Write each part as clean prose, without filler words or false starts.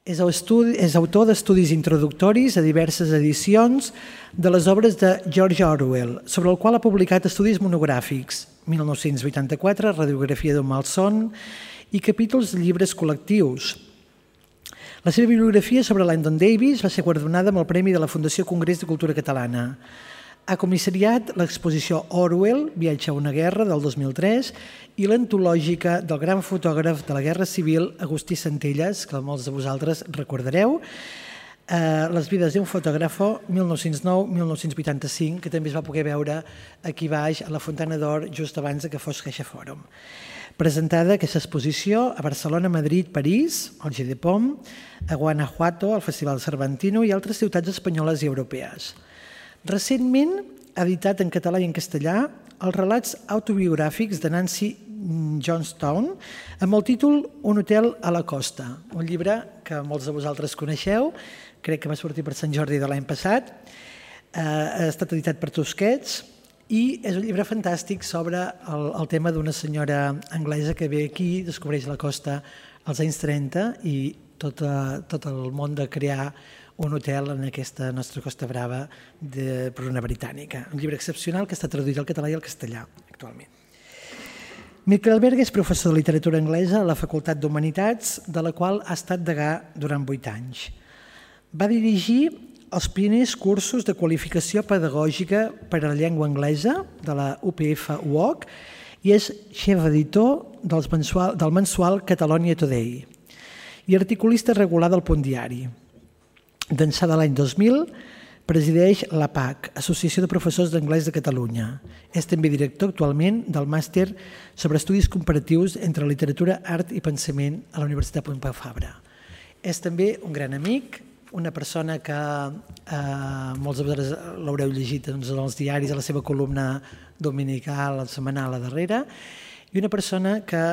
És autor d'estudis introductoris a diverses edicions de les obres de George Orwell, sobre el qual ha publicat estudis monogràfics, 1984, Radiografia d'un malson, i capítols de llibres col·lectius. La seva bibliografia sobre Langdon Davis va ser guardonada amb el Premi de la Fundació Congrés de Cultura Catalana. Ha comissariat l'exposició Orwell, Viatge a una guerra, del 2003, i l'antològica del gran fotògraf de la Guerra Civil, Agustí Centelles, que molts de vosaltres recordareu, Les vides d'un fotògrafo, 1909-1985, que també es va poder veure aquí baix a la Fontana d'Or just abans que fos CaixaForum. Presentada aquesta exposició a Barcelona, Madrid, París, al GDPOM, a Guanajuato, al Festival Cervantino i altres ciutats espanyoles i europees. Recentment ha editat en català i en castellà els relats autobiogràfics de Nancy Johnstown amb el títol Un hotel a la costa, un llibre que molts de vosaltres coneixeu, crec que va sortir per Sant Jordi de l'any passat, ha estat editat per Tusquets i és un llibre fantàstic sobre el tema d'una senyora anglesa que ve aquí, descobreix la costa als anys 30 i tot el món de crear un hotel en aquesta nostra Costa Brava per una britànica. Un llibre excepcional que està traduït al català i al castellà actualment. Miquel Berga és professor de literatura anglesa a la Facultat d'Humanitats, de la qual ha estat degà durant 8 anys. Va dirigir els primers cursos de qualificació pedagògica per a la llengua anglesa de la UPF UOC i és xef editor del mensual Catalonia Today i articulista regular del Punt Diari. D'ençà de l'any 2000, presideix l'APAC, Associació de Professors d'Anglès de Catalunya. És també director actualment del màster sobre estudis comparatius entre literatura, art i pensament a la Universitat Pompeu Fabra. És també un gran amic, una persona que molts de vosaltres l'haureu llegit en els diaris, a la seva columna dominical, setmanal a darrere, i una persona que,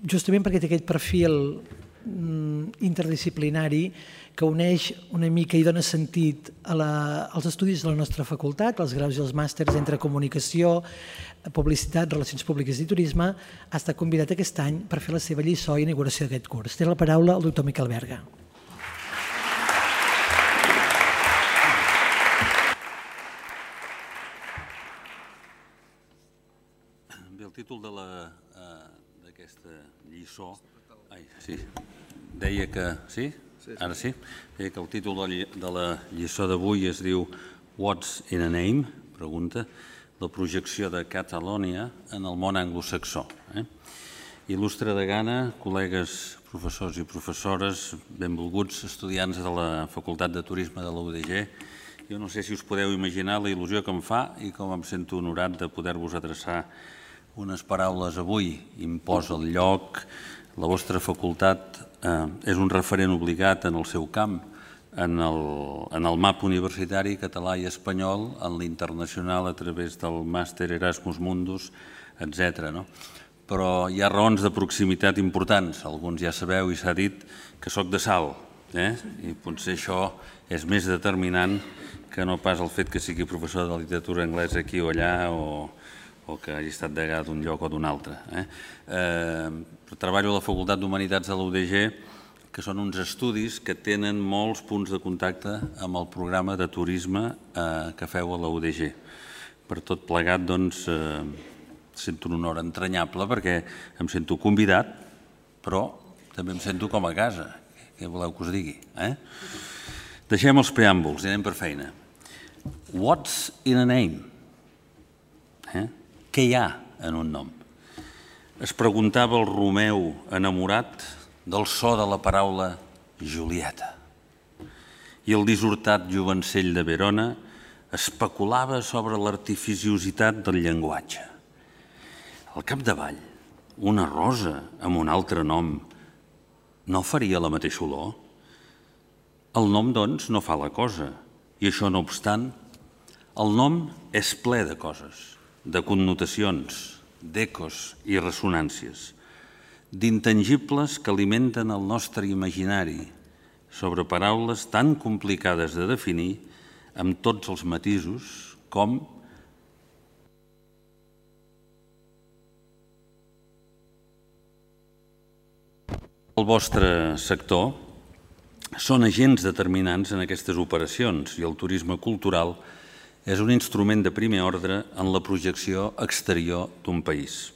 justament perquè té aquest perfil interdisciplinari que uneix una mica i dona sentit als estudis de la nostra facultat, als graus i els màsters entre comunicació, publicitat, relacions públiques i turisme, ha estat convidat aquest any per fer la seva lliçó i inauguració d'aquest curs. Té la paraula el doctor Miquel Berga. Bé, el títol d'aquesta lliçó... Sí, deia que... Sí? Ara sí? Deia que el títol de la lliçó d'avui es diu What's in a Name? Pregunta. La projecció de Catalònia en el món anglosaxó. Il·lustre degana, col·legues professors i professores, benvolguts estudiants de la Facultat de Turisme de la UDG, jo no sé si us podeu imaginar la il·lusió que em fa i com em sento honorat de poder-vos adreçar unes paraules avui. Imposa el lloc. La vostra facultat és un referent obligat en el seu camp, en el mapa universitari català i espanyol, en l'internacional a través del màster Erasmus Mundus, etc. Però hi ha raons de proximitat importants. Alguns ja sabeu i s'ha dit que soc de Salt, i potser això és més determinant que no pas el fet que sigui professor de literatura anglesa aquí o allà o que hagi estat degà d'un lloc o d'un altre. Treballo a la Facultat d'Humanitats de la UDG, que són uns estudis que tenen molts punts de contacte amb el programa de turisme que feu a la UDG. Per tot plegat, doncs, sento un honor entranyable perquè em sento convidat, però també em sento com a casa. Què voleu que us digui? Deixem els preàmbuls i anem per feina. What's in a name? Què hi ha en un nom? Es preguntava el Romeu enamorat del so de la paraula Julieta. I el dissortat jovencell de Verona especulava sobre l'artificiositat del llenguatge. Al capdavall, una rosa amb un altre nom no faria la mateixa olor? El nom, doncs, no fa la cosa, i això no obstant, el nom és ple de coses, de connotacions, d'ecos i ressonàncies, d'intangibles que alimenten el nostre imaginari sobre paraules tan complicades de definir amb tots els matisos com El vostre sector són agents determinants en aquestes operacions i el turisme cultural és un instrument de primer ordre en la projecció exterior d'un país.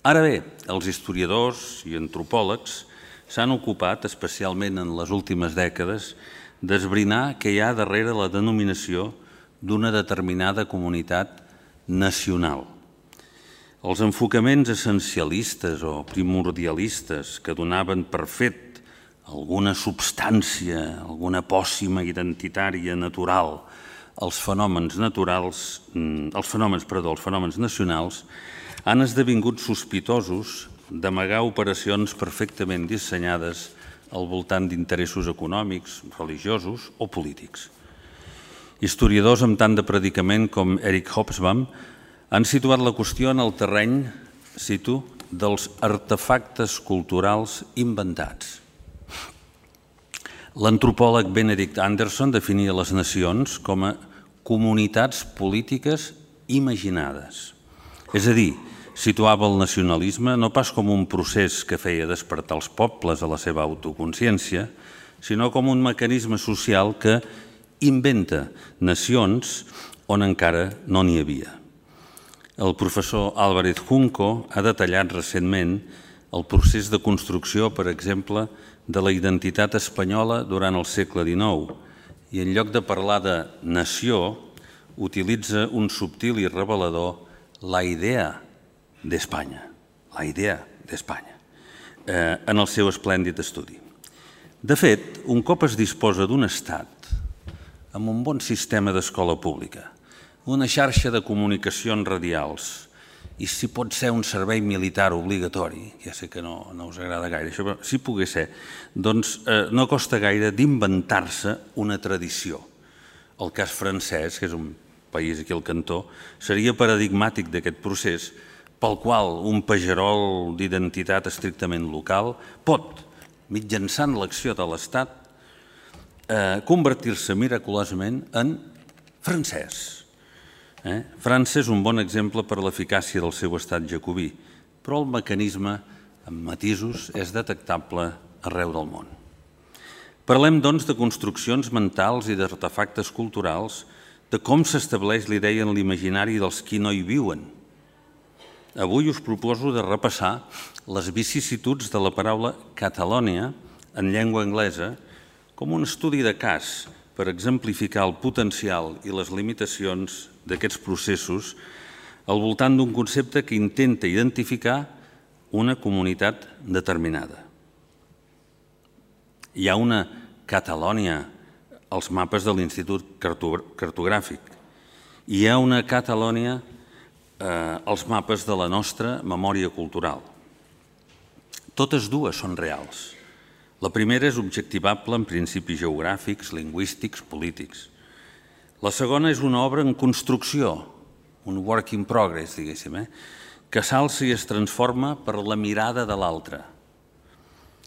Ara bé, els historiadors i antropòlegs s'han ocupat, especialment en les últimes dècades, d'esbrinar què hi ha darrere la denominació d'una determinada comunitat nacional. Els enfocaments essencialistes o primordialistes que donaven per fet alguna substància, alguna pòssima identitària natural als fenòmens nacionals han esdevingut sospitosos d'amagar operacions perfectament dissenyades al voltant d'interessos econòmics, religiosos o polítics. Historiadors amb tant de predicament com Eric Hobsbawm han situat la qüestió en el terreny, cito, dels artefactes culturals inventats. L'antropòleg Benedict Anderson definia les nacions com a comunitats polítiques imaginades. És a dir, situava el nacionalisme no pas com un procés que feia despertar els pobles a la seva autoconsciència, sinó com un mecanisme social que inventa nacions on encara no n'hi havia. El professor Álvarez Junco ha detallat recentment el procés de construcció, per exemple, de la identitat espanyola durant el segle XIX i en lloc de parlar de nació utilitza un subtil i revelador la idea d'Espanya, en el seu esplèndid estudi. De fet, un cop es disposa d'un estat amb un bon sistema d'escola pública, una xarxa de comunicacions radials i si pot ser un servei militar obligatori, ja sé que no us agrada gaire això, però si pogués ser, doncs no costa gaire d'inventar-se una tradició. El cas francès, que és un país aquí al cantó, seria paradigmàtic d'aquest procés pel qual un pagerol d'identitat estrictament local pot, mitjançant l'acció de l'Estat, convertir-se miraculosament en francès. França és un bon exemple per l'eficàcia del seu estat jacobí, però el mecanisme, amb matisos, és detectable arreu del món. Parlem, doncs, de construccions mentals i d'artefactes culturals, de com s'estableix la idea en l'imaginari dels qui no hi viuen. Avui us proposo de repassar les vicissituds de la paraula Catalònia en llengua anglesa com un estudi de cas per exemplificar el potencial i les limitacions d'aquests processos al voltant d'un concepte que intenta identificar una comunitat determinada. Hi ha una Catalònia als mapes de l'Institut Cartogràfic. Hi ha una Catalònia als mapes de la nostra memòria cultural. Totes dues són reals. La primera és objectivable en principis geogràfics, lingüístics, polítics. La segona és una obra en construcció, un work in progress, diguéssim, que s'alça i es transforma per la mirada de l'altre.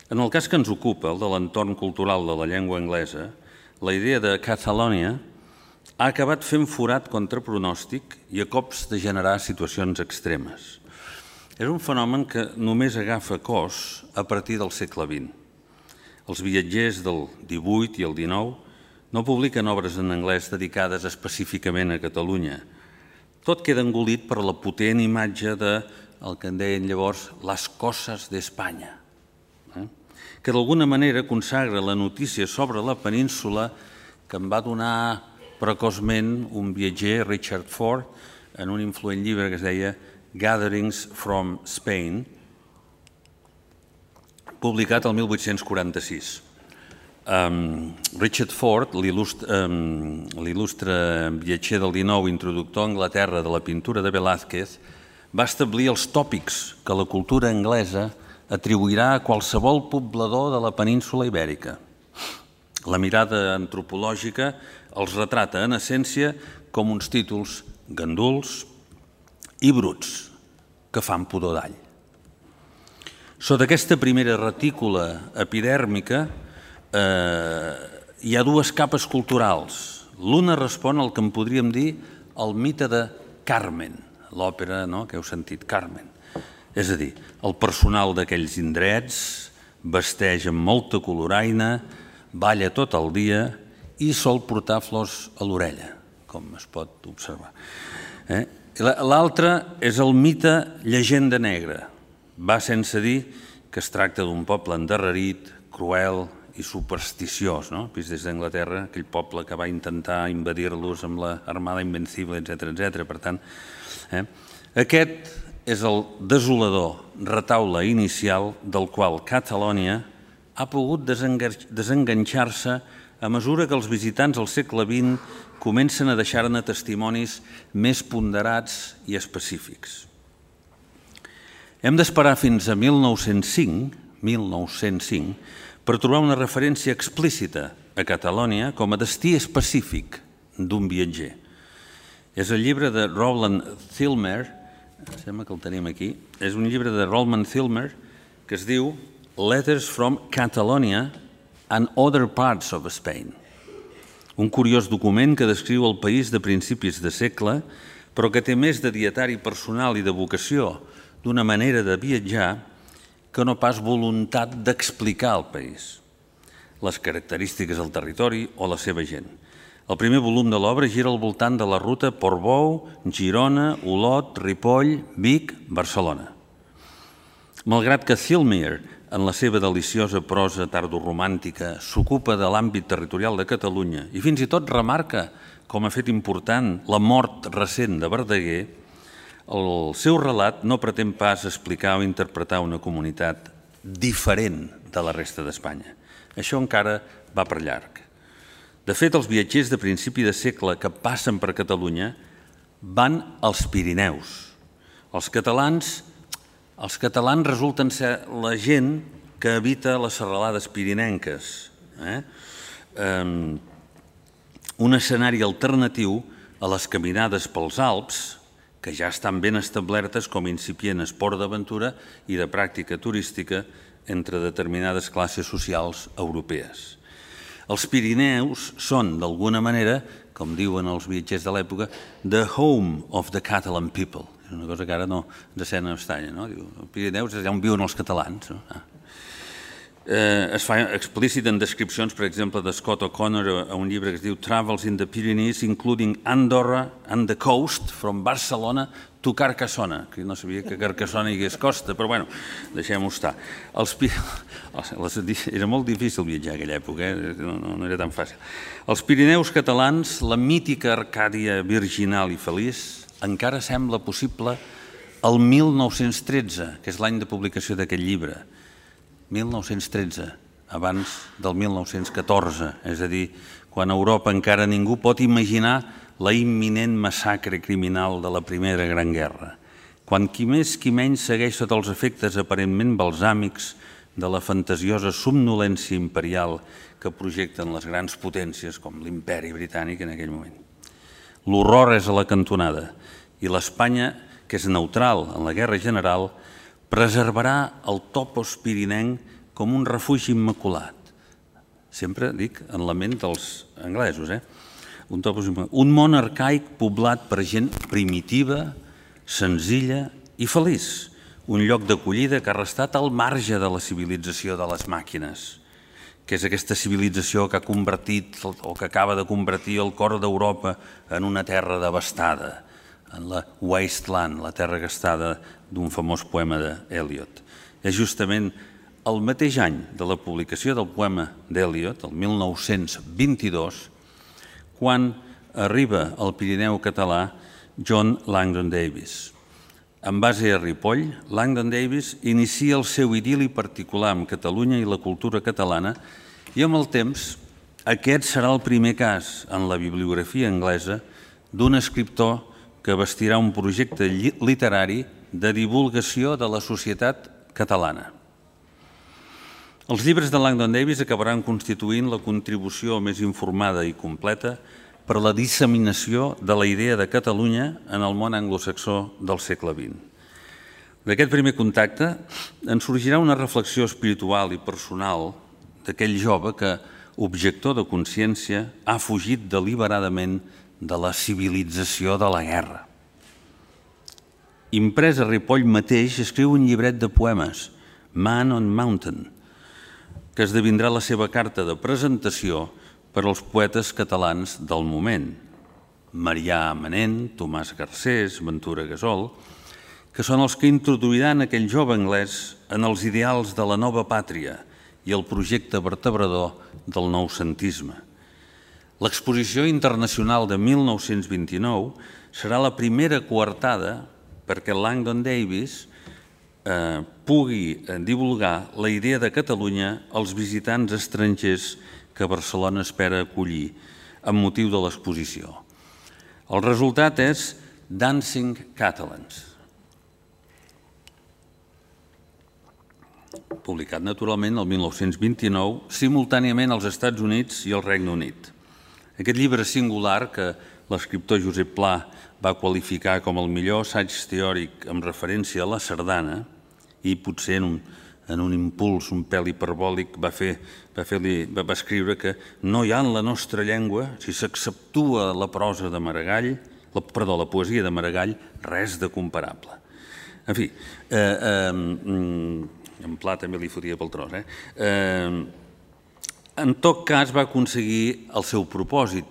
En el cas que ens ocupa, el de l'entorn cultural de la llengua anglesa, la idea de Catalonia ha acabat fent forat contra pronòstic i a cops de generar situacions extremes. És un fenomen que només agafa cos a partir del segle XX. Els viatgers del XVIII i el XIX no publiquen obres en anglès dedicades específicament a Catalunya. Tot queda engolit per la potent imatge del que en deien llavors les coses d'Espanya, que d'alguna manera consagra la notícia sobre la península que em va donar precoçment un viatger, Richard Ford, en un influent llibre que es deia Gatherings from Spain, publicat el 1846. Richard Ford, l'il·lustre viatger del XIX, introductor a Anglaterra de la pintura de Velázquez, va establir els tòpics que la cultura anglesa atribuirà a qualsevol poblador de la península ibèrica. La mirada antropològica els retrata en essència com uns títols ganduls i bruts que fan pudor d'all. Sota aquesta primera retícula epidèrmica hi ha dues capes culturals. L'una respon al que en podríem dir el mite de Carmen, l'òpera que heu sentit, Carmen. És a dir, el personal d'aquells indrets vesteix amb molta coloraina, balla tot el dia i sol portar flors a l'orella, com es pot observar. L'altre és el mite Llegenda Negra. Va sense dir que es tracta d'un poble endarrerit, cruel i supersticiós, vist des d'Anglaterra, aquell poble que va intentar invadir-los amb l'Armada Invencible, etc. Per tant, aquest és el desolador retaule inicial del qual Catalònia ha pogut desenganxar-se a mesura que els visitants al segle XX comencen a deixar-ne testimonis més ponderats i específics. Hem d'esperar fins a 1905 per trobar una referència explícita a Catalònia com a destí específic d'un viatger. És el llibre de Rowland Thilmer, sembla que el tenim aquí, és un llibre de Rowland Thilmer que es diu Letters from Catalonia and Other Parts of Spain. Un curiós document que descriu el país de principis de segle, però que té més de dietari personal i de vocació, d'una manera de viatjar, que no pas voluntat d'explicar el país, les característiques del territori o la seva gent. El primer volum de l'obra gira al voltant de la ruta Portbou, Girona, Olot, Ripoll, Vic, Barcelona. Malgrat que Thilmer, en la seva deliciosa prosa tardoromàntica, s'ocupa de l'àmbit territorial de Catalunya i fins i tot remarca com a fet important la mort recent de Verdaguer, el seu relat no pretén pas explicar o interpretar una comunitat diferent de la resta d'Espanya. Això encara va per llarg. De fet, els viatgers de principi de segle que passen per Catalunya van als Pirineus. Els catalans resulten ser la gent que habita les serralades pirinenques. Un escenari alternatiu a les caminades pels Alps, que ja estan ben establertes com a incipient esport d'aventura i de pràctica turística entre determinades classes socials europees. Els Pirineus són, d'alguna manera, com diuen els viatgers de l'època, the home of the Catalan people. És una cosa que ara no ens sent estranya, no? Els Pirineus és allà on viuen els catalans. Es fa explícit en descripcions, per exemple, de Scott O'Connor a un llibre que es diu Travels in the Pyrenees, including Andorra and the coast from Barcelona to Carcassona, que no sabia que Carcassona hi hagués costa, però bueno, deixem-ho estar. Era molt difícil viatjar a aquella època, no era tan fàcil. Els Pirineus catalans, la mítica Arcàdia virginal i feliç, encara sembla possible el 1913, que és l'any de publicació d'aquest llibre. 1913, abans del 1914, és a dir, quan a Europa encara ningú pot imaginar la imminent massacre criminal de la Primera Gran Guerra, quan qui més qui menys segueix sota els efectes aparentment balsàmics de la fantasiosa somnolència imperial que projecten les grans potències com l'imperi britànic en aquell moment. L'horror és a la cantonada i l'Espanya, que és neutral en la guerra general, preservarà el topos pirinenc com un refugi immaculat. Sempre dic en la ment dels anglesos, un món arcaic poblat per gent primitiva, senzilla i feliç, un lloc d'acollida que ha restat al marge de la civilització de les màquines, que és aquesta civilització que ha convertit o que acaba de convertir el cor d'Europa en una terra devastada, en la Wasteland, la terra gastada d'un famós poema d'Eliot. És justament el mateix any de la publicació del poema d'Eliot, el 1922, quan arriba al Pirineu català John Langdon Davis. En base a Ripoll, Langdon Davis inicia el seu idil·li particular amb Catalunya i la cultura catalana i amb el temps aquest serà el primer cas en la bibliografia anglesa d'un escriptor que vestirà un projecte literari de divulgació de la societat catalana. Els llibres de Langdon Davis acabaran constituint la contribució més informada i completa per a la disseminació de la idea de Catalunya en el món anglosaxó del segle XX. D'aquest primer contacte en sorgirà una reflexió espiritual i personal d'aquell jove que, objector de consciència, ha fugit deliberadament de la civilització de la guerra. Imprès a Ripoll mateix escriu un llibret de poemes, Man on Mountain, que esdevindrà la seva carta de presentació per als poetes catalans del moment, Marià Manent, Tomàs Garcés, Ventura Gasol, que són els que introduiran aquell jove anglès en els ideals de la nova pàtria i el projecte vertebrador del noucentisme. L'exposició internacional de 1929 serà la primera coartada perquè Langdon Davis pugui divulgar la idea de Catalunya als visitants estrangers que Barcelona espera acollir amb motiu de l'exposició. El resultat és Dancing Catalans, publicat naturalment el 1929, simultàniament als Estats Units i al Regne Unit. Aquest llibre singular, que l'escriptor Josep Pla va qualificar com el millor assaig teòric amb referència a la sardana, i potser en un impuls un pèl hiperbòlic va escriure que no hi ha en la nostra llengua, si s'exceptua la prosa de Maragall, la poesia de Maragall, res de comparable. En fi, en Pla també li fotia pel tros. En tot cas, va aconseguir el seu propòsit.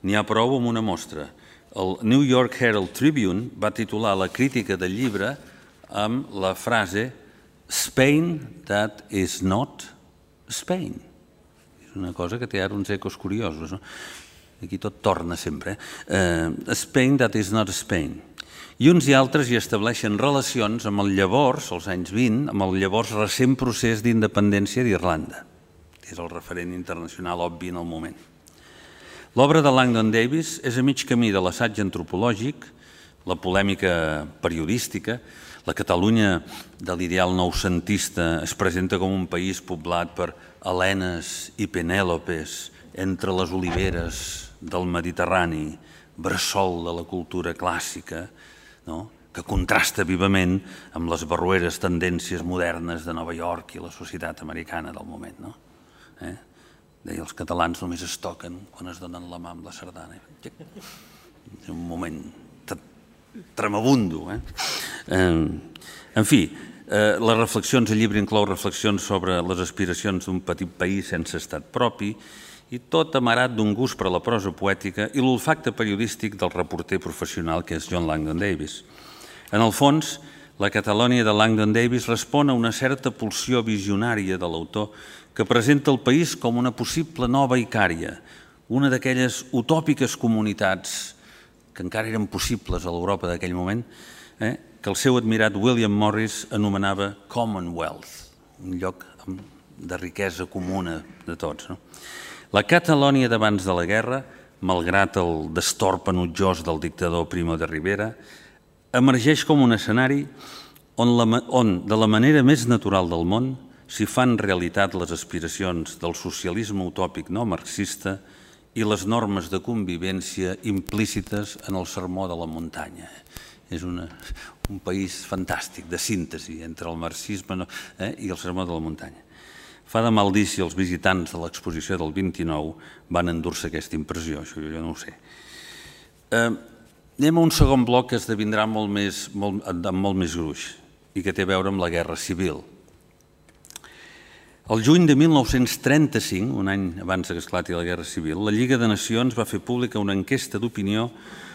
N'hi ha prou amb una mostra. El New York Herald Tribune va titular la crítica del llibre amb la frase Spain that is not Spain. És una cosa que té ara uns ecos curiosos. Aquí tot torna sempre. Spain that is not Spain. I uns i altres hi estableixen relacions amb el llavors, als anys 20, amb el llavors recent procés d'independència d'Irlanda. És el referent internacional obvi en el moment. L'obra de Langdon Davis és a mig camí de l'assaig antropològic, la polèmica periodística. La Catalunya de l'ideal noucentista es presenta com un país poblat per Helenes i Penèlopes entre les oliveres del Mediterrani, bressol de la cultura clàssica, que contrasta vivament amb les barroeres tendències modernes de Nova York i la societat americana del moment. Deia, els catalans només es toquen quan es donen la mà amb la sardana. És un moment tremabundo. En fi, les reflexions, el llibre inclou reflexions sobre les aspiracions d'un petit país sense estat propi i tot amarat d'un gust per la prosa poètica i l'olfacte periodístic del reporter professional que és John Langdon Davis. En el fons, la Catalònia de Langdon Davis respon a una certa pulsió visionària de l'autor que presenta el país com una possible nova Icària, una d'aquelles utòpiques comunitats que encara eren possibles a l'Europa d'aquell moment, que el seu admirat William Morris anomenava Commonwealth, un lloc de riquesa comuna de tots. La Catalònia d'abans de la guerra, malgrat el destorb enutjós del dictador Primo de Rivera, emergeix com un escenari on, de la manera més natural del món, s'hi fan realitat les aspiracions del socialisme utòpic no marxista i les normes de convivència implícites en el sermó de la muntanya. És un país fantàstic, de síntesi entre el marxisme i el sermó de la muntanya. Fa de mal dir si els visitants de l'exposició del 29 van endur-se aquesta impressió, això jo no ho sé. Anem a un segon bloc que esdevindrà amb molt més gruix i que té a veure amb la Guerra Civil. El juny de 1935, un any abans que esclati la Guerra Civil, la Lliga de Nacions va fer pública una enquesta d'opinió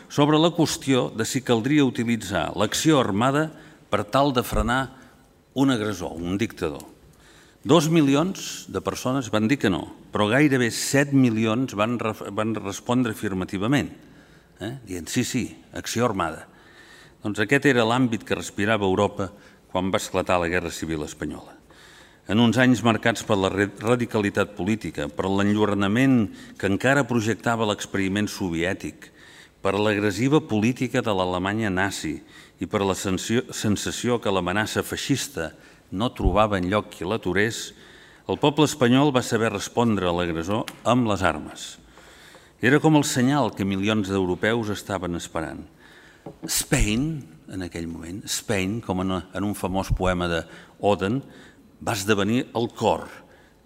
sobre la qüestió de si caldria utilitzar l'acció armada per tal de frenar un agressor, un dictador. 2 milions de persones van dir que no, però gairebé 7 milions van respondre afirmativament, dient sí, acció armada. Doncs aquest era l'àmbit que respirava Europa quan va esclatar la Guerra Civil espanyola. En uns anys marcats per la radicalitat política, per l'enlluernament que encara projectava l'experiment soviètic, per l'agressiva política de l'Alemanya nazi i per la sensació que l'amenaça feixista no trobava enlloc qui l'aturés, el poble espanyol va saber respondre a l'agressor amb les armes. Era com el senyal que milions d'europeus estaven esperant. Spain, en aquell moment, Spain, com en un famós poema d'Oden, va esdevenir el cor,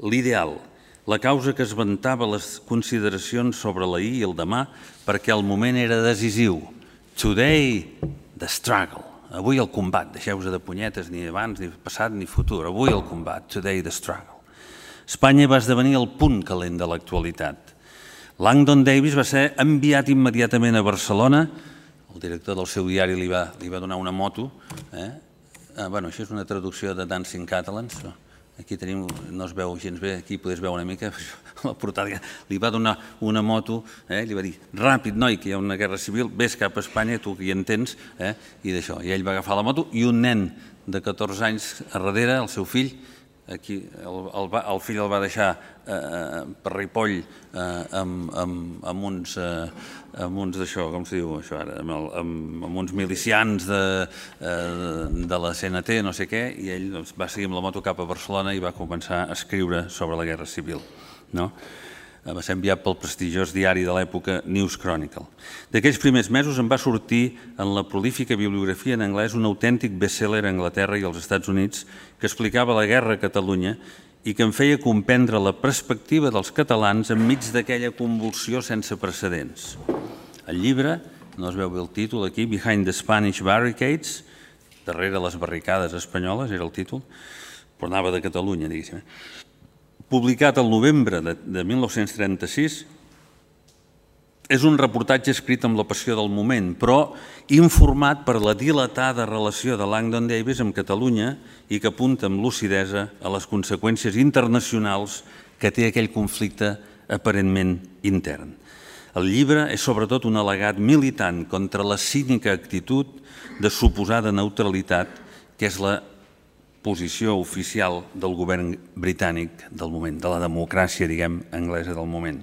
l'ideal, la causa que esventava les consideracions sobre l'ahir i el demà perquè el moment era decisiu. Today, the struggle. Avui el combat. Deixeu-vos de punyetes ni abans, ni passat, ni futur. Avui el combat. Today, the struggle. Espanya va esdevenir el punt calent de l'actualitat. Langdon Davis va ser enviat immediatament a Barcelona. El director del seu diari li va donar una moto. Bueno, això és una traducció de Dancing Catalans. Aquí tenim, no es veu gens bé, aquí podeu veure una mica, la portada, li va donar una moto, li va dir, ràpid, noi, que hi ha una guerra civil, vés cap a Espanya, tu que hi entens, i d'això. I ell va agafar la moto i un nen de 14 anys a darrere, el seu fill, aquí el fill el va deixar per Ripoll amb uns d'això, com se diu això ara, amb uns milicians de la CNT, no sé què, i ell va seguir amb la moto cap a Barcelona i va començar a escriure sobre la Guerra Civil. Va ser enviat pel prestigiós diari de l'època News Chronicle. D'aquells primers mesos en va sortir en la prolífica bibliografia en anglès un autèntic best-seller a Anglaterra i als Estats Units que explicava la guerra a Catalunya i que en feia comprendre la perspectiva dels catalans enmig d'aquella convulsió sense precedents. El llibre, no es veu bé el títol aquí, Behind the Spanish Barricades, darrere les barricades espanyoles era el títol, però anava de Catalunya, diguéssim. Publicat al novembre de 1936, és un reportatge escrit amb la passió del moment, però informat per la dilatada relació de Langdon Davis amb Catalunya i que apunta amb lucidesa a les conseqüències internacionals que té aquell conflicte aparentment intern. El llibre és sobretot un al·legat militant contra la cínica actitud de suposada neutralitat que és la posició oficial del govern britànic del moment, de la democràcia, diguem, anglesa del moment.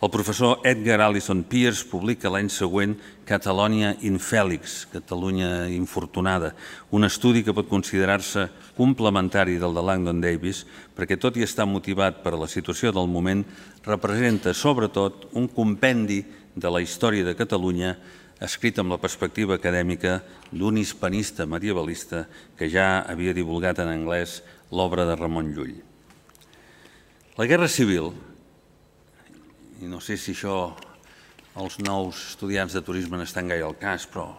El professor Edgar Alison Pierce publica l'any següent Catalonia Infélix, Catalunya infortunada, un estudi que pot considerar-se complementari del de Langdon Davis, perquè tot i estar motivat per la situació del moment, representa sobretot un compendi de la història de Catalunya escrit amb la perspectiva acadèmica d'un hispanista medievalista que ja havia divulgat en anglès l'obra de Ramon Llull. La Guerra Civil, i no sé si això els nous estudiants de turisme n'estan gaire al cas, però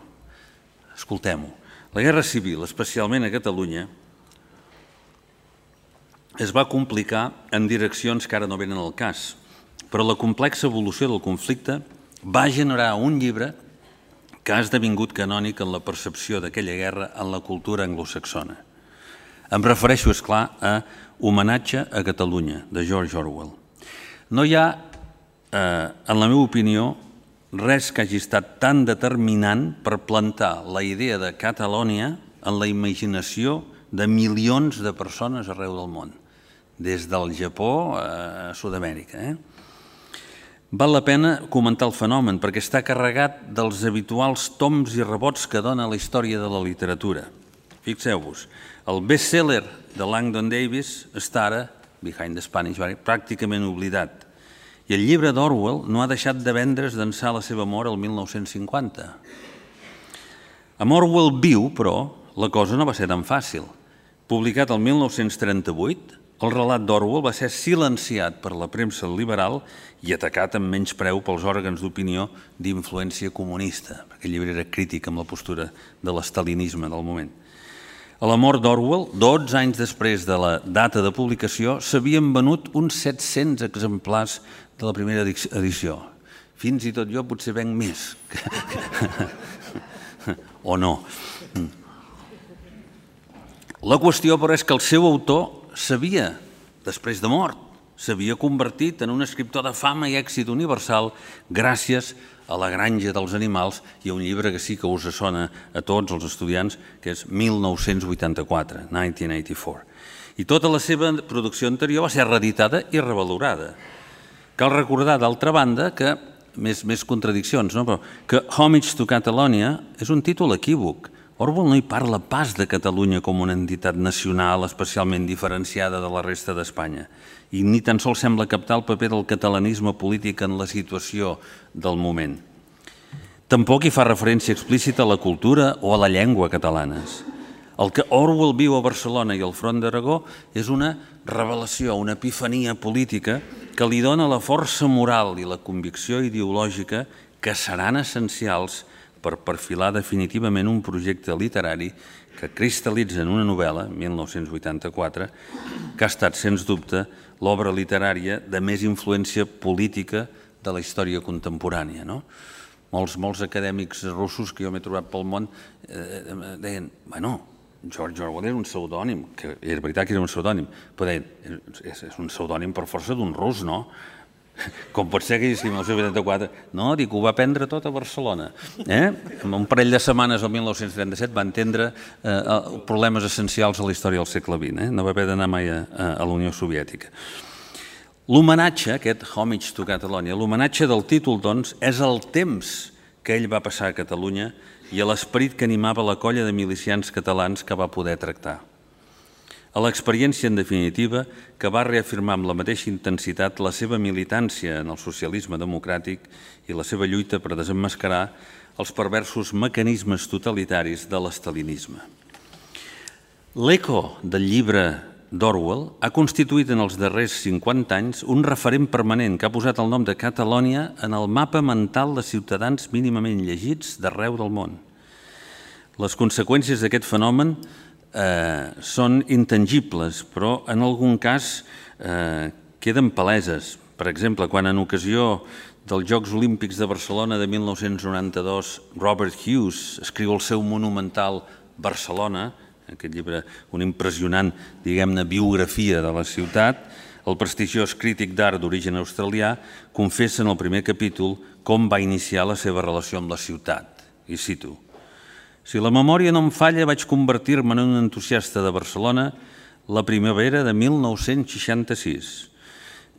escoltem-ho. La Guerra Civil, especialment a Catalunya, es va complicar en direccions que ara no venen al cas, però la complexa evolució del conflicte va generar un llibre que ha esdevingut canònic en la percepció d'aquella guerra en la cultura anglosaxona. Em refereixo, esclar, a Homenatge a Catalunya, de George Orwell. No hi ha, en la meva opinió, res que hagi estat tan determinant per plantar la idea de Catalònia en la imaginació de milions de persones arreu del món, des del Japó a Sud-amèrica. Val la pena comentar el fenomen perquè està carregat dels habituals toms i rebots que dona la història de la literatura. Fixeu-vos, el best-seller de Langdon Davis està ara, Behind the Spanish Barricades, pràcticament oblidat. I el llibre d'Orwell no ha deixat de vendre's d'ençà la seva mort el 1950. Amb Orwell viu, però, la cosa no va ser tan fàcil. Publicat el 1938, el relat d'Orwell va ser silenciat per la premsa liberal i atacat amb menyspreu pels òrgans d'opinió d'influència comunista, perquè el llibre era crític amb la postura de l'estalinisme del moment. A la mort d'Orwell, 12 anys després de la data de publicació, s'havien venut uns 700 exemplars de la primera edició. Fins i tot jo potser venc més. O no. La qüestió, però, és que el seu autor s'havia, després de mort, s'havia convertit en un escriptor de fama i èxit universal gràcies a La granja dels animals i a un llibre que sí que us sona a tots els estudiants, que és 1984, 1984. I tota la seva producció anterior va ser reeditada i revalorada. Cal recordar, d'altra banda, que, més contradiccions, no? Però que Homage to Catalonia és un títol equívoc. Orwell no hi parla pas de Catalunya com una entitat nacional especialment diferenciada de la resta d'Espanya i ni tan sols sembla captar el paper del catalanisme polític en la situació del moment. Tampoc hi fa referència explícita a la cultura o a la llengua catalanes. El que Orwell viu a Barcelona i al Front d'Aragó és una revelació, una epifania política que li dona la força moral i la convicció ideològica que seran essencials per perfilar definitivament un projecte literari que cristal·litza en una novel·la, 1984, que ha estat, sens dubte, l'obra literària de més influència política de la història contemporània. Molts acadèmics russos que jo m'he trobat pel món deien, bueno, George Orwell era un pseudònim, que era veritat que era un pseudònim, però deien, és un pseudònim per força d'un rus, no? Com pot ser que en el 1984... No, dic, ho va aprendre tot a Barcelona. En un parell de setmanes, el 1937, va entendre problemes essencials a la història del segle XX. No va haver d'anar mai a la Unió Soviètica. L'homenatge, aquest Homage to Catalonia, l'homenatge del títol, doncs, és el temps que ell va passar a Catalunya i a l'esperit que animava la colla de milicians catalans que va poder tractar. A l'experiència, en definitiva, que va reafirmar amb la mateixa intensitat la seva militància en el socialisme democràtic i la seva lluita per desemmascarar els perversos mecanismes totalitaris de l'estalinisme. L'eco del llibre d'Orwell ha constituït en els darrers 50 anys un referent permanent que ha posat el nom de Catalònia en el mapa mental de ciutadans mínimament llegits d'arreu del món. Les conseqüències d'aquest fenomen són intangibles, però en algun cas queden paleses. Per exemple, quan en ocasió dels Jocs Olímpics de Barcelona de 1992 Robert Hughes escriu el seu monumental Barcelona, aquest llibre, una impressionant, diguem-ne, biografia de la ciutat, el prestigiós crític d'art d'origen australià confessa en el primer capítol com va iniciar la seva relació amb la ciutat. I cito: si la memòria no em falla, vaig convertir-me en un entusiasta de Barcelona la primavera de 1966.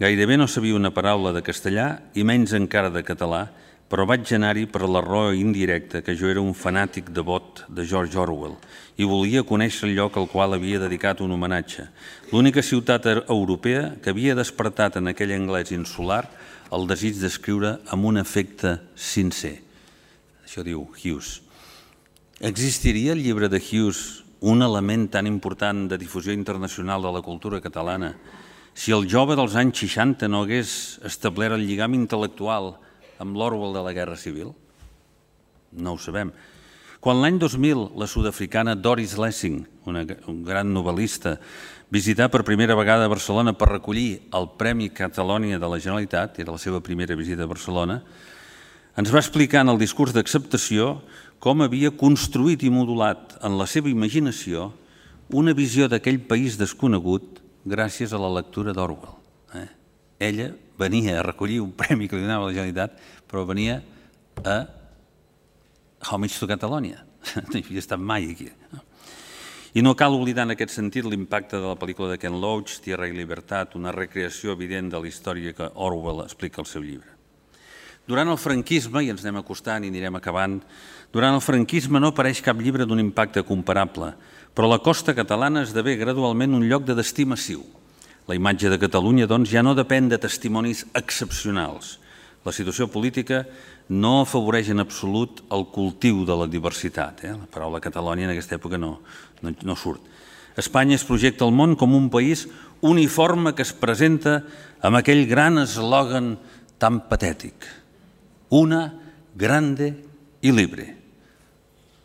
Gairebé no sabia una paraula de castellà i menys encara de català, però vaig anar-hi per la raó indirecta que jo era un fanàtic devot de George Orwell i volia conèixer el lloc al qual havia dedicat un homenatge, l'única ciutat europea que havia despertat en aquell anglès insular el desig d'escriure amb un afecte sincer. Això diu Hughes. Existiria el llibre de Hughes, un element tan important de difusió internacional de la cultura catalana, si el jove dels anys 60 no hagués establert el lligam intel·lectual amb l'Orwell de la Guerra Civil? No ho sabem. Quan l'any 2000 la sud-africana Doris Lessing, un gran novel·lista, visità per primera vegada a Barcelona per recollir el Premi Catalonia de la Generalitat, era la seva primera visita a Barcelona, ens va explicar en el discurs d'acceptació com havia construït i modulat en la seva imaginació una visió d'aquell país desconegut gràcies a la lectura d'Orwell. Ella venia a recollir un premi que li donava la Generalitat, però venia a Homage to Catalonia. No hi havia estat mai aquí. I no cal oblidar en aquest sentit l'impacte de la pel·lícula de Ken Loach, Tierra y Libertad, una recreació evident de la història que Orwell explica al seu llibre. Durant el franquisme, i ens anem acostant i anirem acabant, durant el franquisme no apareix cap llibre d'un impacte comparable, però la costa catalana esdevé gradualment un lloc de destí massiu. La imatge de Catalunya, doncs, ja no depèn de testimonis excepcionals. La situació política no afavoreix en absolut el cultiu de la diversitat. La paraula Catalònia en aquesta època no surt. Espanya es projecta al món com un país uniforme que es presenta amb aquell gran eslògan tan patètic: una, grande i libre.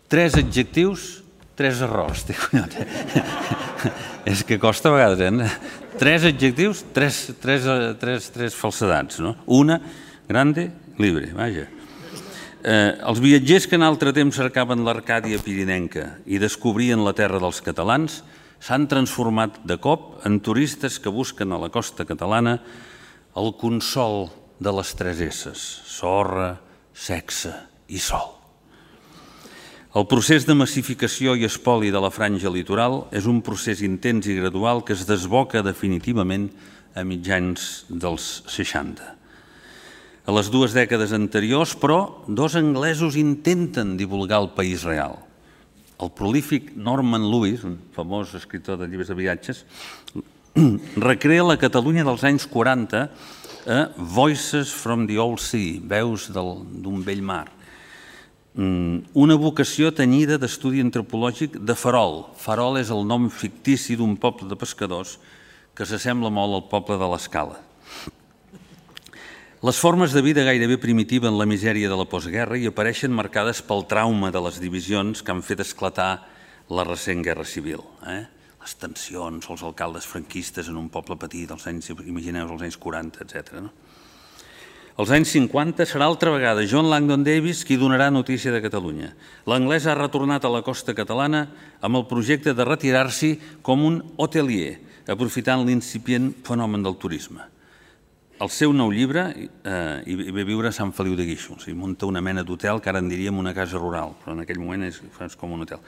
3 adjectius, 3 errors. És que costa a vegades, 3 adjectius, 3 falsedats. Una, grande, libre, vaja. Els viatgers que en altre temps cercaven l'Arcàdia pirinenca i descobrien la terra dels catalans s'han transformat de cop en turistes que busquen a la costa catalana el consol de les 3 S's: sorra, sexe i sol. El procés de massificació i espoli de la franja litoral és un procés intens i gradual que es desboca definitivament a mitjans dels 60. A les 2 dècades anteriors, però, 2 anglesos intenten divulgar el país real. El prolífic Norman Lewis, un famós escriptor de llibres de viatges, recrea la Catalunya dels anys 40 a Voices from the Old Sea, veus d'un vell mar. Una vocació tenyida d'estudi antropològic de Farol. Farol és el nom fictici d'un poble de pescadors que s'assembla molt al poble de l'Escala. Les formes de vida gairebé primitiva en la misèria de la postguerra hi apareixen marcades pel trauma de les divisions que han fet esclatar la recent guerra civil. Les tensions, els alcaldes franquistes en un poble petit, imagineu els anys 40, etc. Als anys 50 serà altra vegada John Langdon Davis qui donarà notícia de Catalunya. L'anglès ha retornat a la costa catalana amb el projecte de retirar-s'hi com un hotelier, aprofitant l'incipient fenomen del turisme. El seu nou llibre, hi ve viure a Sant Feliu de Guíxols, i munta una mena d'hotel que ara en diríem una casa rural, però en aquell moment és com un hotel.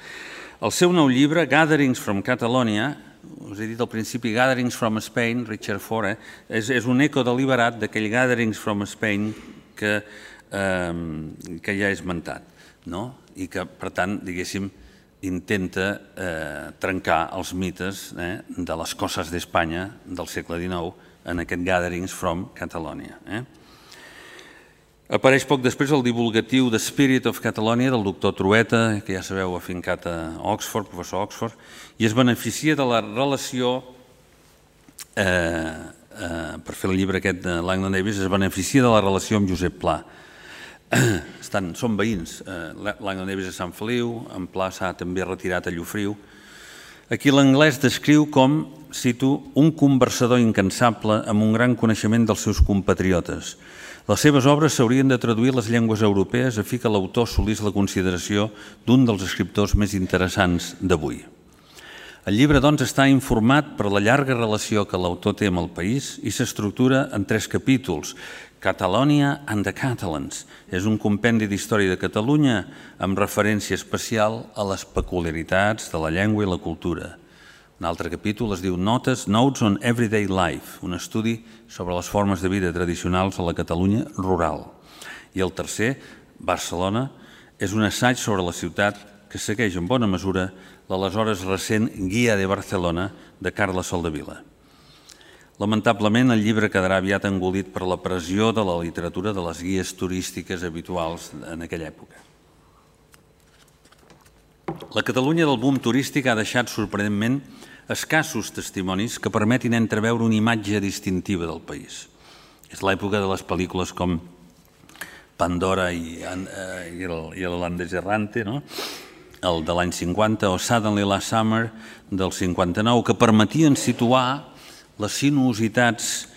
El seu nou llibre, Gatherings from Catalonia, us he dit al principi Gatherings from Spain, Richard Fore, és un eco deliberat d'aquell Gatherings from Spain que ja he esmentat, i que, per tant, diguéssim, intenta trencar els mites de les coses d'Espanya del segle XIX en aquest Gatherings from Catalonia. Apareix poc després el divulgatiu The Spirit of Catalonia del doctor Trueta, que ja sabeu, afincat a Oxford, professor Oxford, i es beneficia de la relació, per fer el llibre aquest de Langdon Davis, es beneficia de la relació amb Josep Pla. Són veïns, Langdon Davis a Sant Feliu, en Pla s'ha també retirat a Llofriu. Aquí l'anglès descriu com, cito, un conversador incansable amb un gran coneixement dels seus compatriotes. Les seves obres s'haurien de traduir a les llengües europees a fi que l'autor assolís la consideració d'un dels escriptors més interessants d'avui. El llibre, doncs, està informat per la llarga relació que l'autor té amb el país i s'estructura en 3 capítols. Catalonia and the Catalans és un compendi d'història de Catalunya amb referència especial a les peculiaritats de la llengua i la cultura. Un altre capítol es diu Notes on Everyday Life, un estudi sobre les formes de vida tradicionals a la Catalunya rural. I el tercer, Barcelona, és un assaig sobre la ciutat que segueix en bona mesura l'aleshores recent Guia de Barcelona de Carles Soldevila. Lamentablement, el llibre quedarà aviat engolit per la pressió de la literatura de les guies turístiques habituals en aquella època. La Catalunya del boom turístic ha deixat sorprenentment escassos testimonis que permetin entreveure una imatge distintiva del país. És l'època de les pel·lícules com Pandora i l'Holandès Errante, el de l'any 50, o Suddenly Last Summer del 59, que permetien situar les sinuositats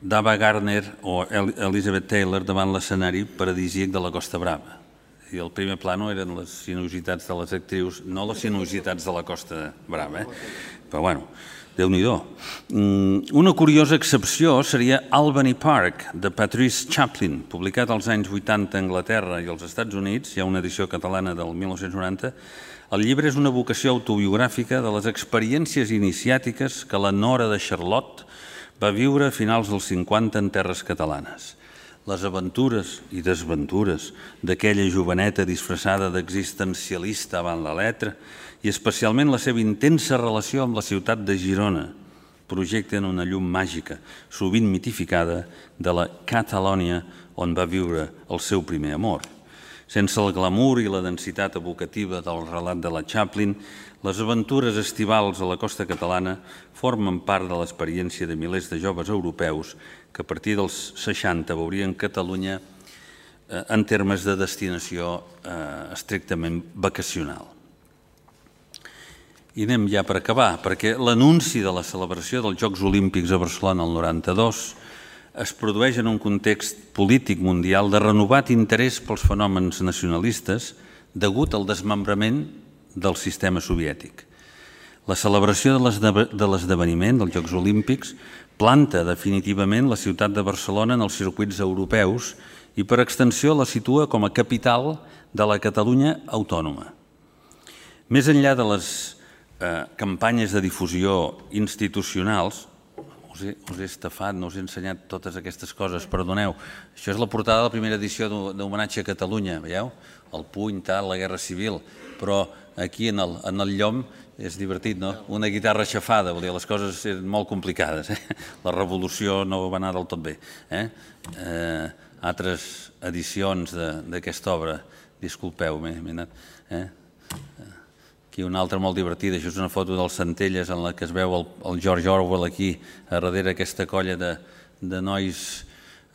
d'Ava Gardner o Elizabeth Taylor davant l'escenari paradisíac de la Costa Brava. I el primer plano eren les sinuositats de les actrius, no les sinuositats de la Costa Brava. Però, bueno, Déu-n'hi-do. Una curiosa excepció seria Albany Park, de Patrice Chaplin, publicat als anys 80 a Anglaterra i als Estats Units, hi ha una edició catalana del 1990. El llibre és una vocació autobiogràfica de les experiències iniciàtiques que la nora de Charlotte va viure a finals dels 50 en terres catalanes. Les aventures i desventures d'aquella joveneta disfressada d'existencialista avant la letra i especialment la seva intensa relació amb la ciutat de Girona projecten una llum màgica, sovint mitificada, de la Catalònia on va viure el seu primer amor. Sense el glamour i la densitat evocativa del relat de la Chaplin, les aventures estivals a la costa catalana formen part de l'experiència de milers de joves europeus que a partir dels 60 veurien Catalunya en termes de destinació estrictament vacacional. I anem ja per acabar, perquè l'anunci de la celebració dels Jocs Olímpics a Barcelona el 92 es produeix en un context polític mundial de renovat interès pels fenòmens nacionalistes degut al desmembrament del sistema soviètic. La celebració de l'esdeveniment dels Jocs Olímpics planta definitivament la ciutat de Barcelona en els circuits europeus i per extensió la situa com a capital de la Catalunya autònoma. Més enllà de les campanyes de difusió institucionals, us he estafat, no us he ensenyat totes aquestes coses, perdoneu. Això és la portada de la primera edició d'Homenatge a Catalunya, veieu? El puny, tal, la Guerra Civil, però aquí en el llom és divertit, no? Una guitarra aixafada, vol dir, les coses eren molt complicades. La revolució no va anar del tot bé. Altres edicions d'aquesta obra, disculpeu, m'he anat... Aquí una altra molt divertida, això és una foto dels Centelles en la que es veu el George Orwell aquí, a darrere aquesta colla de nois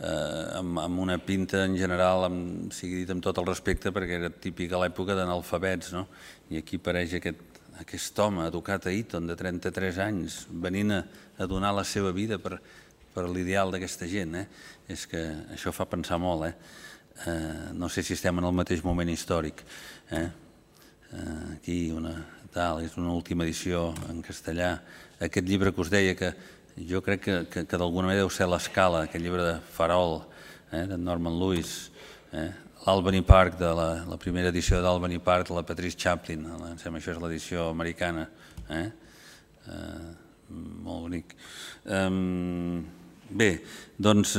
amb una pinta en general, sigui dit amb tot el respecte, perquè era típic a l'època d'analfabets, no? I aquí apareix aquest home educat a Eton de 33 anys venint a donar la seva vida per l'ideal d'aquesta gent. És que això fa pensar molt. No sé si estem en el mateix moment històric. Aquí és una última edició en castellà. Aquest llibre que us deia, que jo crec que d'alguna manera deu ser l'Escala, aquest llibre de Farol, de Norman Lewis, l'Albany Park, de la primera edició d'Albany Park, de la Patrice Chaplin, em sembla que això és l'edició americana. Molt bonic. Bé, doncs,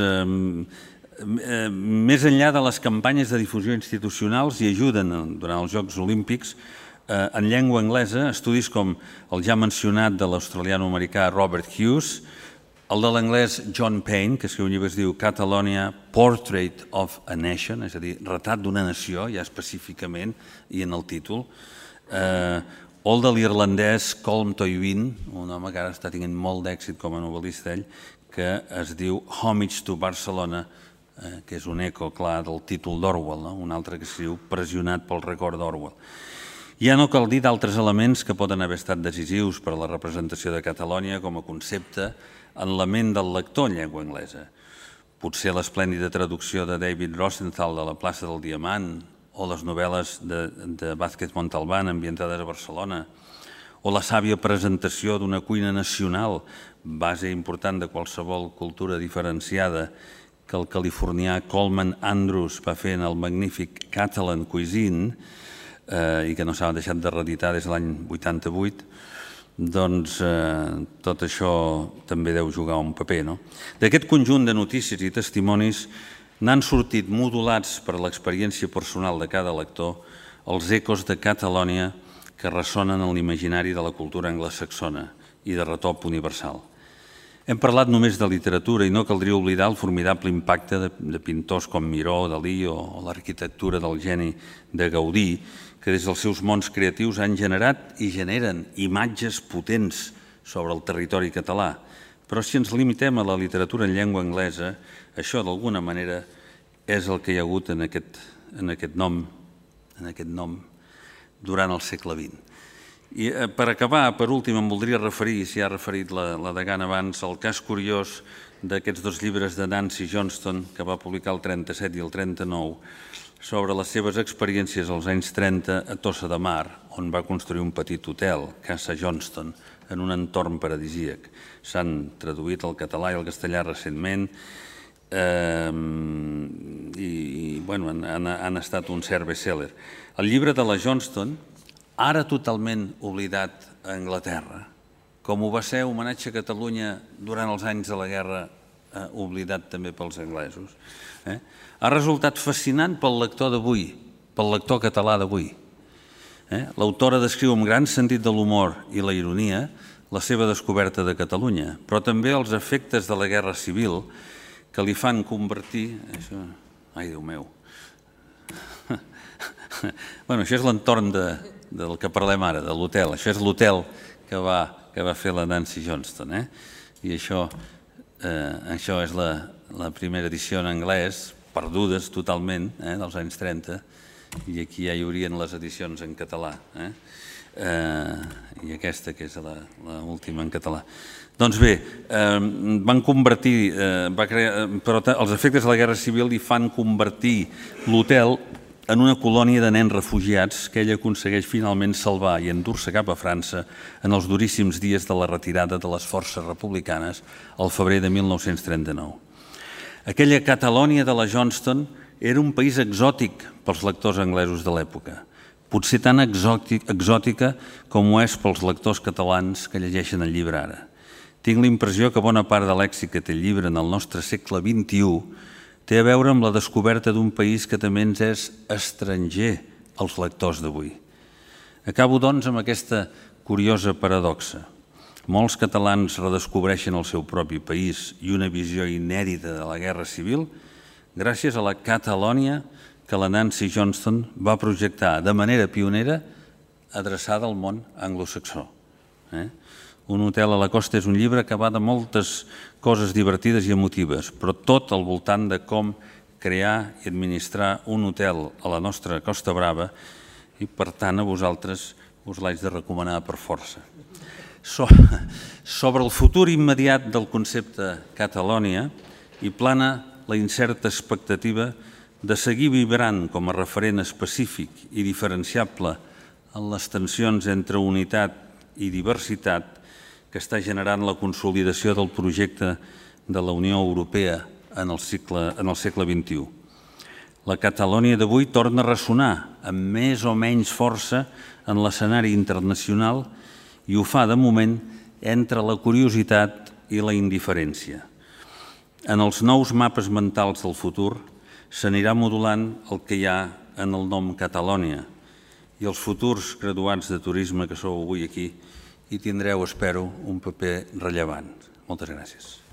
més enllà de les campanyes de difusió institucionals hi ajuden durant els Jocs Olímpics en llengua anglesa estudis com el ja mencionat de l'australiano-americà Robert Hughes, el de l'anglès John Payne, que escriu un llibre que es diu Catalonia, Portrait of a Nation, és a dir, retrat d'una nació, ja específicament, i en el títol, o el de l'irlandès Colm Toibin, un home que ara està tenint molt d'èxit com a novel·lista ell, que es diu Homage to Barcelona, que és un eco clar del títol d'Orwell, un altre que escriu Pressionat pel record d'Orwell. Ja no cal dir d'altres elements que poden haver estat decisius per a la representació de Catalònia com a concepte en la ment del lector en llengua anglesa. Potser l'esplèndida traducció de David Rosenthal de La plaça del Diamant o les novel·les de Vázquez Montalbán ambientades a Barcelona o la sàvia presentació d'una cuina nacional, base important de qualsevol cultura diferenciada, que el californià Coleman Andrews va fer en el magnífic Catalan Cuisine i que no s'ha deixat de reeditar des de l'any 88, doncs tot això també deu jugar un paper. D'aquest conjunt de notícies i testimonis n'han sortit modulats per l'experiència personal de cada lector els ecos de Catalònia que ressonen en l'imaginari de la cultura anglosaxona i de retop universal. Hem parlat només de literatura i no caldria oblidar el formidable impacte de pintors com Miró, Dalí o l'arquitectura del geni de Gaudí, que des dels seus mons creatius han generat i generen imatges potents sobre el territori català. Però si ens limitem a la literatura en llengua anglesa, això d'alguna manera és el que hi ha hagut en aquest nom durant el segle XX. I per acabar, per últim, em voldria referir, s'hi ha referit la degana abans, al cas curiós d'aquests dos llibres de Nancy Johnston, que va publicar el 37 i el 39, sobre les seves experiències als anys 30 a Tossa de Mar, on va construir un petit hotel, Casa Johnston, en un entorn paradisíac. S'han traduït al català i al castellà recentment i han estat un cert bestseller. El llibre de la Johnston, ara totalment oblidat a Anglaterra, com ho va ser Homenatge a Catalunya durant els anys de la guerra, oblidat també pels anglesos, ha resultat fascinant pel lector d'avui, pel lector català d'avui. L'autora descriu amb gran sentit de l'humor i la ironia la seva descoberta de Catalunya, però també els efectes de la Guerra Civil que li fan convertir... Ai, Déu meu! Això és l'entorn del que parlem ara, de l'hotel. Això és l'hotel que va fer la Nancy Johnston. I això és la primera edició en anglès, perdudes totalment, dels anys 30, i aquí ja hi haurien les edicions en català. I aquesta, que és l'última en català. Doncs bé, van convertir, però els efectes de la Guerra Civil li fan convertir l'hotel en una colònia de nens refugiats que ell aconsegueix finalment salvar i endur-se cap a França en els duríssims dies de la retirada de les forces republicanes al febrer de 1939. Aquella Catalònia de la Johnston era un país exòtic pels lectors anglesos de l'època, potser tan exòtica com ho és pels lectors catalans que llegeixen el llibre ara. Tinc la impressió que bona part de l'èxit que té el llibre en el nostre segle XXI té a veure amb la descoberta d'un país que també ens és estranger als lectors d'avui. Acabo, doncs, amb aquesta curiosa paradoxa. Molts catalans redescobreixen el seu propi país i una visió inèdita de la Guerra Civil gràcies a la Catalònia que la Nancy Johnston va projectar de manera pionera adreçada al món anglosaxó. Un hotel a la costa és un llibre que va de moltes coses divertides i emotives, però tot al voltant de com crear i administrar un hotel a la nostra Costa Brava i, per tant, a vosaltres us l'haig de recomanar per força. Sobre el futur immediat del concepte Catalònia hi plana la incerta expectativa de seguir vibrant com a referent específic i diferenciable en les tensions entre unitat i diversitat que està generant la consolidació del projecte de la Unió Europea en el segle XXI. La Catalònia d'avui torna a ressonar amb més o menys força en l'escenari internacional i ho fa, de moment, entre la curiositat i la indiferència. En els nous mapes mentals del futur s'anirà modulant el que hi ha en el nom Catalònia i els futurs graduats de turisme que sou avui aquí hi tindreu, espero, un paper rellevant. Moltes gràcies.